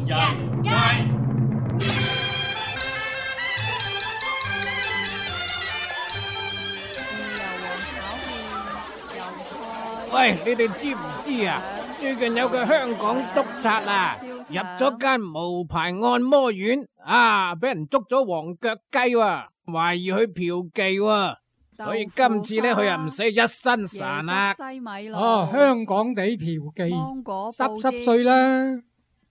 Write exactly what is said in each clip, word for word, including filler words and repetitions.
人威。喂，你哋知唔知啊？最近有個香港督察啊，入咗間無牌按摩院啊，俾人捉咗黃腳雞喎，懷疑佢嫖妓喎，所以今次咧佢又唔使一身潺啦。哦，香港地嫖妓，濕濕碎啦！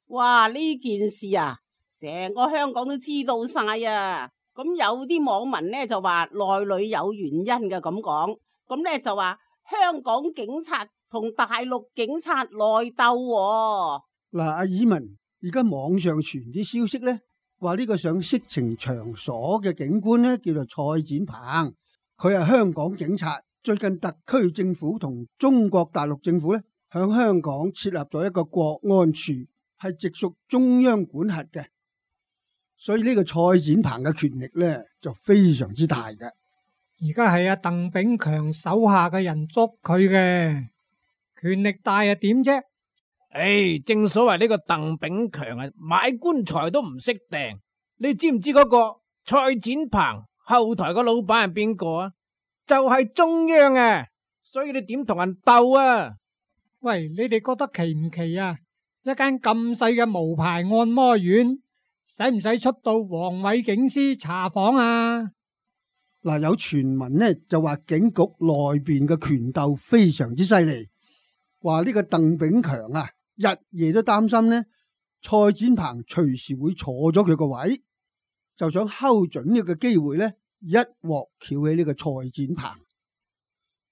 哇，呢件事啊，成個香港都知道晒啊！咁有啲網民咧就話內裏有原因嘅咁講，咁咧就話香港警察同大陸警察內鬥。嗱，阿以文，而家網上傳啲消息咧，話呢個上色情場所嘅警官咧叫做蔡展鵬，佢係香港警察。最近特區政府同中國大陸政府咧響香港設立咗一個國安處，係直屬中央管轄嘅，所以呢個蔡展鵬嘅權力咧就非常之大嘅。而家係阿鄧炳強手下嘅人捉佢嘅，權力大啊點啫？唉，正所謂呢個鄧炳強啊，買棺材都唔識掟。你知唔知嗰個蔡展鵬後台個老闆係邊個啊？就係中央啊，所以你點同人鬥啊？喂，你哋覺得奇唔奇啊？一間咁細嘅無牌按摩院，使唔使出到黃偉警司查訪啊？嗱，有傳聞呢就話警局內邊嘅權鬥非常之犀利，話呢個鄧炳強啊，日夜都擔心呢蔡展鵬隨時會坐咗佢個位，就想睺準呢個機會呢，一鑊撬起呢個蔡展鵬，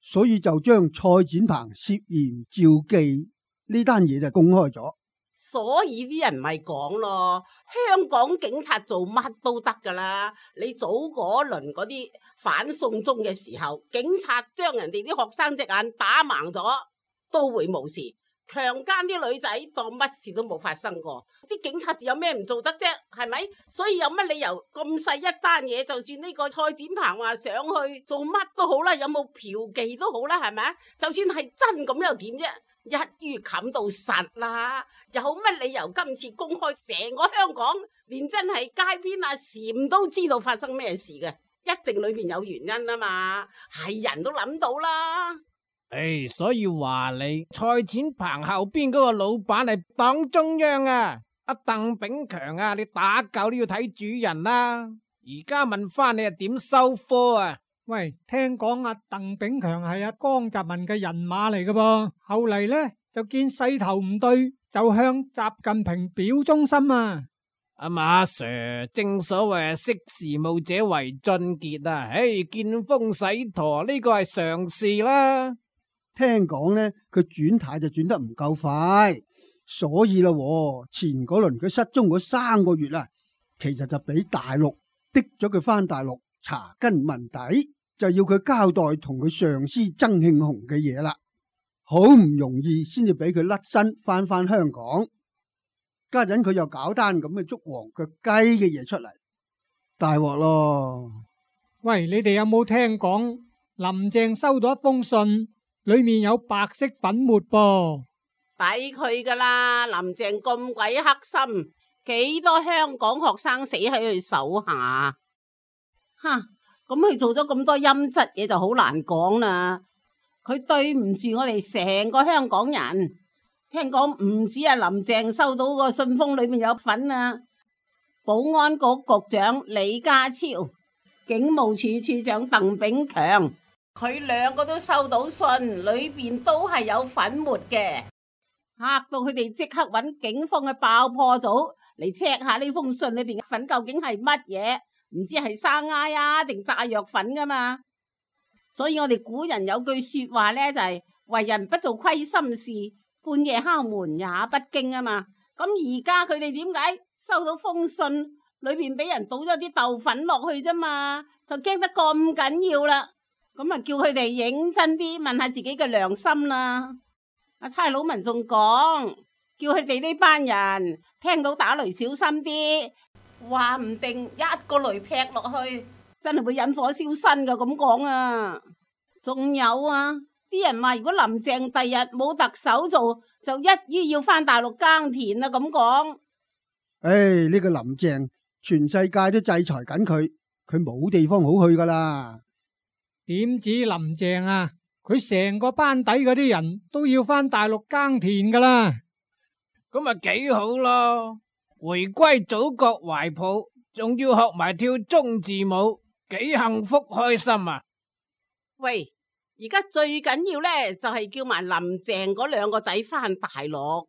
所以就將蔡展鵬涉嫌召妓呢單嘢就公開咗。所以啲人咪講咯，香港警察做乜都得噶啦。你早嗰輪嗰啲反送中嘅時候，警察將人哋啲學生隻眼打盲咗，都會冇事。強姦啲女仔當乜事都冇發生過，啲警察有咩唔做得啫？係咪？所以有乜理由咁細一單嘢，就算呢個蔡展鵬話上去做乜都好啦，有冇嫖妓都好啦，係咪？就算係真咁又點啫？一於冚到實啦，有乜理由今次公開成個香港，連真係街邊阿禪都知道發生咩事嘅？一定裏邊有原因啊嘛，係人都諗到啦。唉，所以話你蔡展鵬後邊嗰個老闆係黨中央啊，阿鄧炳強啊，你打狗都要睇主人啦。而家問翻你係點收科啊？喂，聽講阿鄧炳強係阿江澤民嘅人馬嚟嘅噃，後嚟呢就見勢頭唔對，就向習近平表忠心啊！阿馬 Sir， 正所謂識時務者為俊傑啊！唉，見風使舵呢個係常事啦。聽講呢，佢轉軚就轉得唔夠快，所以啦，前嗰輪佢失蹤嗰三個月啦，其實就俾大陸滴咗佢翻大陸查根問底，就要佢交代同佢上司曾慶紅嘅嘢啦，好唔容易先至俾佢甩身翻翻香港。家陣佢又搞單咁嘅捉黃腳雞嘅嘢出嚟，大鑊咯！喂，你哋有冇聽講林鄭收到一封信？裏面有白色粉末噃，抵佢噶啦！林鄭咁鬼黑心，幾多香港學生死喺佢手下，吓咁佢做咗咁多陰質嘢就好難講啦。佢對唔住我哋成個香港人。聽講唔止係林鄭收到個信封裏面有份啊，保安局局長李家超、警務處處長鄧炳強。佢兩個都收到信，裏邊都係有粉末嘅，嚇到佢哋即刻揾警方嘅爆破組嚟 check 下呢封信裏邊嘅粉究竟係乜嘢，唔知係生埃啊定炸藥粉噶嘛。所以我哋古人有句說話呢，就係、是、為人不做虧心事，半夜敲門也不驚啊嘛。咁而家佢哋點解收到封信裏邊俾人倒咗啲豆粉落去啫嘛，就驚得咁緊要啦。咁啊，叫佢哋認真啲問下自己嘅良心啦。阿差佬文仲講，叫佢哋呢班人聽到打雷小心啲，話唔定一個雷劈落去，真係會引火燒身噶。咁講啊，仲有啊，啲人話如果林鄭第日冇特首做，就一於要翻大陸耕田啦。咁講，唉，呢個林鄭全世界都制裁緊佢，佢冇地方好去噶啦。點止林鄭啊，佢成個班底嗰啲人都要返大陸耕田噶啦。咁咪幾好咯，回歸祖國懷抱，仲要學埋跳中字舞，幾幸福開心啊！喂，而家最緊要呢，就係叫埋林鄭嗰兩個仔返大陸。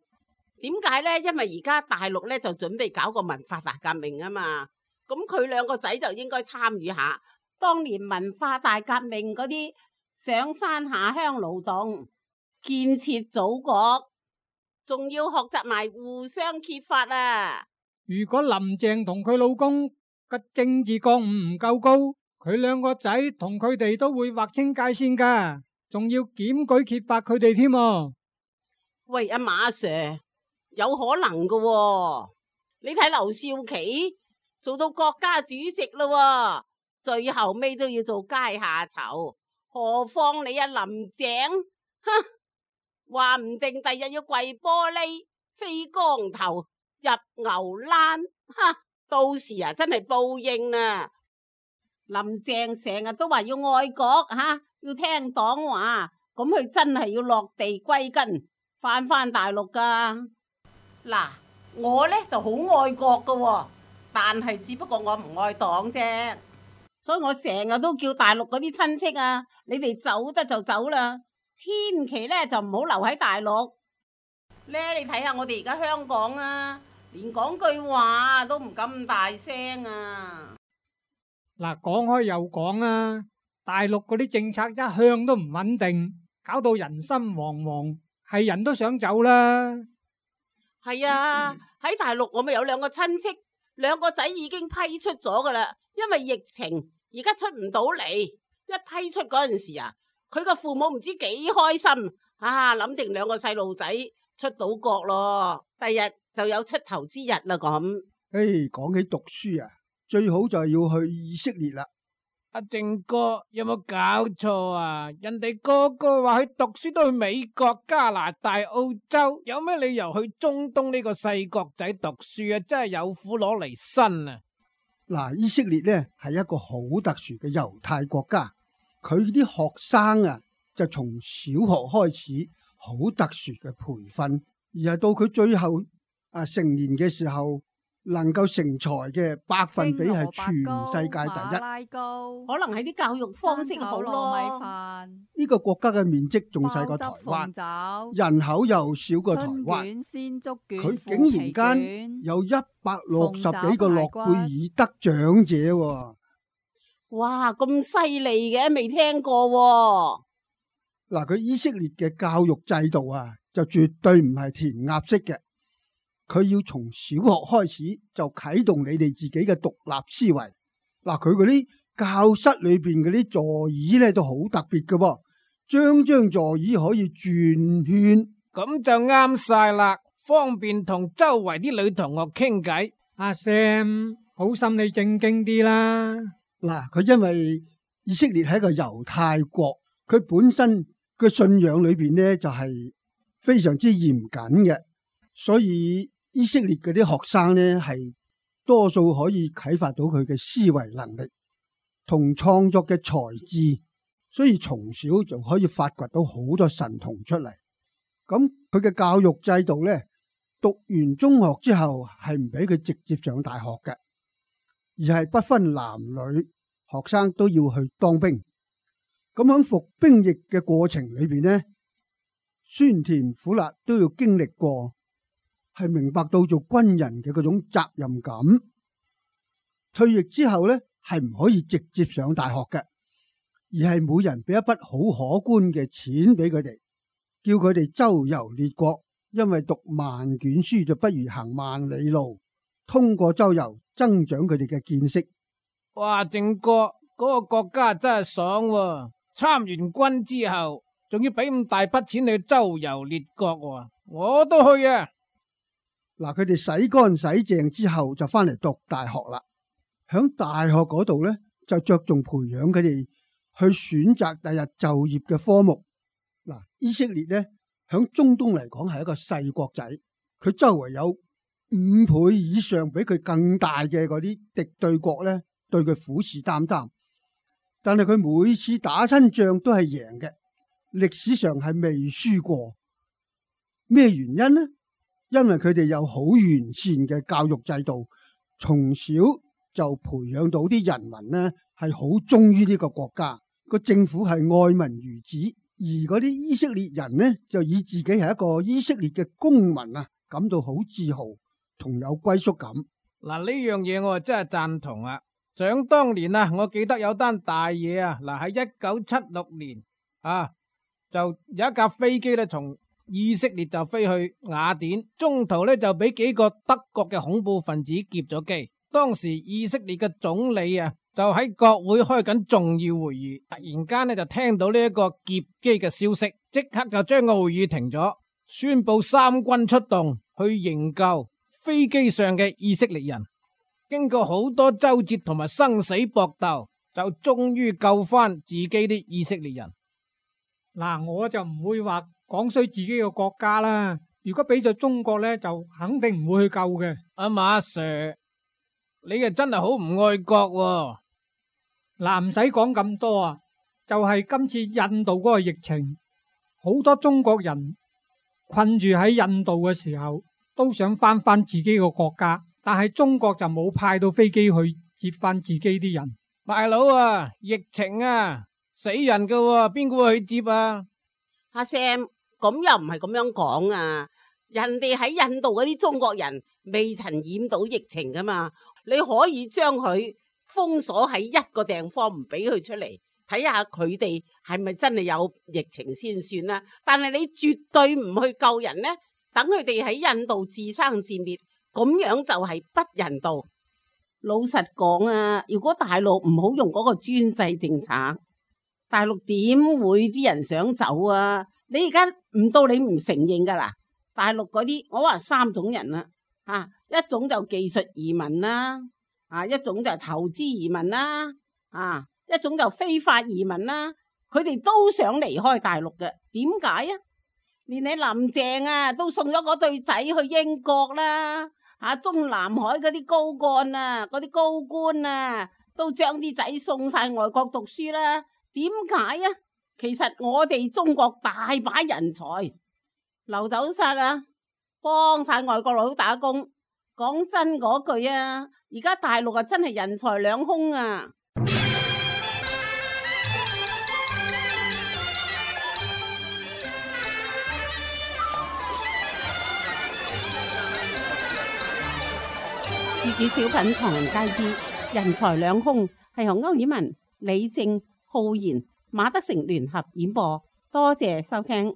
點解呢？因為而家大陸呢，就準備搞個文化大革命啊嘛，咁佢兩個仔就應該參與下當年文化大革命嗰啲上山下鄉勞動，建設祖國，仲要學習埋互相揭發啊！如果林鄭同佢老公嘅政治覺悟唔夠高，佢兩個仔同佢哋都會劃清界線噶，仲要檢舉揭發佢哋添。喂，阿馬 Sir， 有可能噶喎，你睇劉少奇做到國家主席啦，最後尾都要做階下囚，何況你阿林鄭，哼，話唔定第日要跪玻璃、飛光頭、入牛欄，哼，到時啊真係報應啦！林鄭成日都話要愛國吓，要聽黨話，咁佢真係要落地歸根，翻返大陸噶。嗱，我呢就好愛國噶喎，但係只不過我唔愛黨啫，所以我成日都叫大陸嗰啲親戚啊，你哋走得就走啦，千祈呢就唔好留喺大陸。呢你睇下我哋而家香港啊，連講句話都唔敢咁大聲啊！嗱，講開又講啊，大陸嗰啲政策一向都唔穩定，搞到人心惶惶，係人都想走啦。係啊，喺大陸我咪有兩個親戚，兩個仔已經批出咗噶啦，因為疫情而家出唔到嚟，一批出嗰陣時啊，佢個父母唔知幾開心啊，諗定兩個細路仔出到國咯，第日就有出頭之日啦咁。唉，講起讀書啊，最好就係要去以色列啦。阿正哥有冇搞錯啊？人哋個個話去讀書都去美國、加拿大、澳洲，有咩理由去中東呢個細國仔讀書啊？真係有苦攞嚟辛啊！嗱，以色列呢係一個好特殊嘅猶太國家，佢啲學生啊就從小學開始好特殊嘅培訓，而係到佢最後啊成年嘅時候，能夠成才嘅百分比係全世界第一。可能係啲教育方式好咯。呢個國家嘅面積仲細過台灣，人口又少過台灣，佢竟然間有一百六十幾個諾貝爾得獎者喎。哇，咁犀利嘅，未聽過喎。嗱，佢以色列嘅教育制度啊，就絕對唔係填鴨式嘅。佢要從小學開始就啟動你哋自己嘅獨立思維。嗱，佢嗰啲教室裏邊嗰啲座椅咧都好特別嘅噃，張張座椅可以轉圈，咁就啱晒啦，方便同周圍啲女同學傾偈。阿 Sam，好心你正經啲啦。嗱，佢因為以色列係一個猶太國，佢本身嘅信仰裏邊呢就係非常之嚴謹嘅，所以以色列嗰啲學生呢，係多數可以啟發到佢嘅思維能力同創作嘅才智，所以從小就可以發掘到好多神童出嚟。咁佢嘅教育制度呢，讀完中學之後係唔俾佢直接上大學嘅，而係不分男女，學生都要去當兵。咁喺服兵役嘅過程裏邊呢，酸甜苦辣都要經歷過。係明白到做軍人嘅嗰種責任感。退役之後呢，係唔可以直接上大學嘅，而係每人俾一筆好可觀嘅錢俾佢哋，叫佢哋周遊列國。因為讀萬卷書就不如行萬里路，通過周遊增長佢哋嘅見識。哇，正哥嗰個國家真係爽喎！參完軍之後，仲要俾咁大筆錢去周遊列國喎，我都去啊！嗱，佢哋洗乾洗淨之後就翻嚟讀大學啦。響大學嗰度呢，就着重培養佢哋去選擇第日就業嘅科目。嗱，以色列呢，響中東嚟講係一個細國仔，佢周圍有五倍以上比佢更大嘅嗰啲敵對國呢，對佢虎視眈眈。但係佢每次打親仗都係贏嘅，歷史上係未輸過。咩原因呢？因為佢哋有好完善嘅教育制度，從小就培養到啲人民呢係好忠於呢個國家，個政府係愛民如子。而嗰啲以色列人呢，就以自己係一個以色列嘅公民啊，感到好自豪同有歸屬感。嗱，呢樣嘢我真係贊同啊！想當年啊，我記得有單大嘢啊，嗱喺一九七六年啊，就有一架飛機咧從以色列就飛去雅典，中途咧就俾幾個德國嘅恐怖分子劫咗機。當時以色列嘅總理啊，就喺國會開緊重要會議，突然間咧就聽到呢一個劫機嘅消息，即刻就將個會議停咗，宣布三軍出動去營救飛機上嘅以色列人。經過好多周折同埋生死搏鬥，就終於救翻自己啲以色列人。嗱，我就唔會話講衰自己嘅國家啦。如果俾咗中國呢，就肯定唔會去救嘅。阿馬 Sir，你嘅真係好唔愛國喎。嗱，唔使講咁多啊，就係今次印度嗰個疫情，好多中國人困住喺印度嘅時候，都想翻翻自己個國家。但係中國就冇派到飛機去接翻自己啲人。大佬啊，疫情啊，死人噶喎，邊個會去接啊？阿 Sam，咁又唔係咁樣講啊！人哋喺印度嗰啲中國人未曾染到疫情噶嘛，你可以將佢封鎖喺一個地方，唔俾佢出嚟，睇下佢哋係咪真係有疫情先算啦。但係你絕對唔去救人呢，等佢哋喺印度自生自滅。咁樣就係不人道。老實講啊，如果大陸唔好用嗰個專制政策，大陸點會啲人想走啊？你而家唔到你唔承認噶啦，大陸嗰啲我話三種人啦，啊，一種就技術移民啦，啊，一種就投資移民啦，啊，一種就非法移民啦，佢哋都想離開大陸嘅。點解啊？連你林鄭啊都送咗嗰對仔去英國啦。啊！中南海嗰啲高幹啊，嗰啲高官啊，都將啲仔送晒外國讀書啦。點解啊？其實我哋中國大把人才流走晒啦，幫晒外國佬打工。講真嗰句啊，而家大陸啊真係人財兩空啊！粵語小品唐人街之人財兩空，係由歐爾文、李正、浩然、馬德成聯合演播，多謝收聽。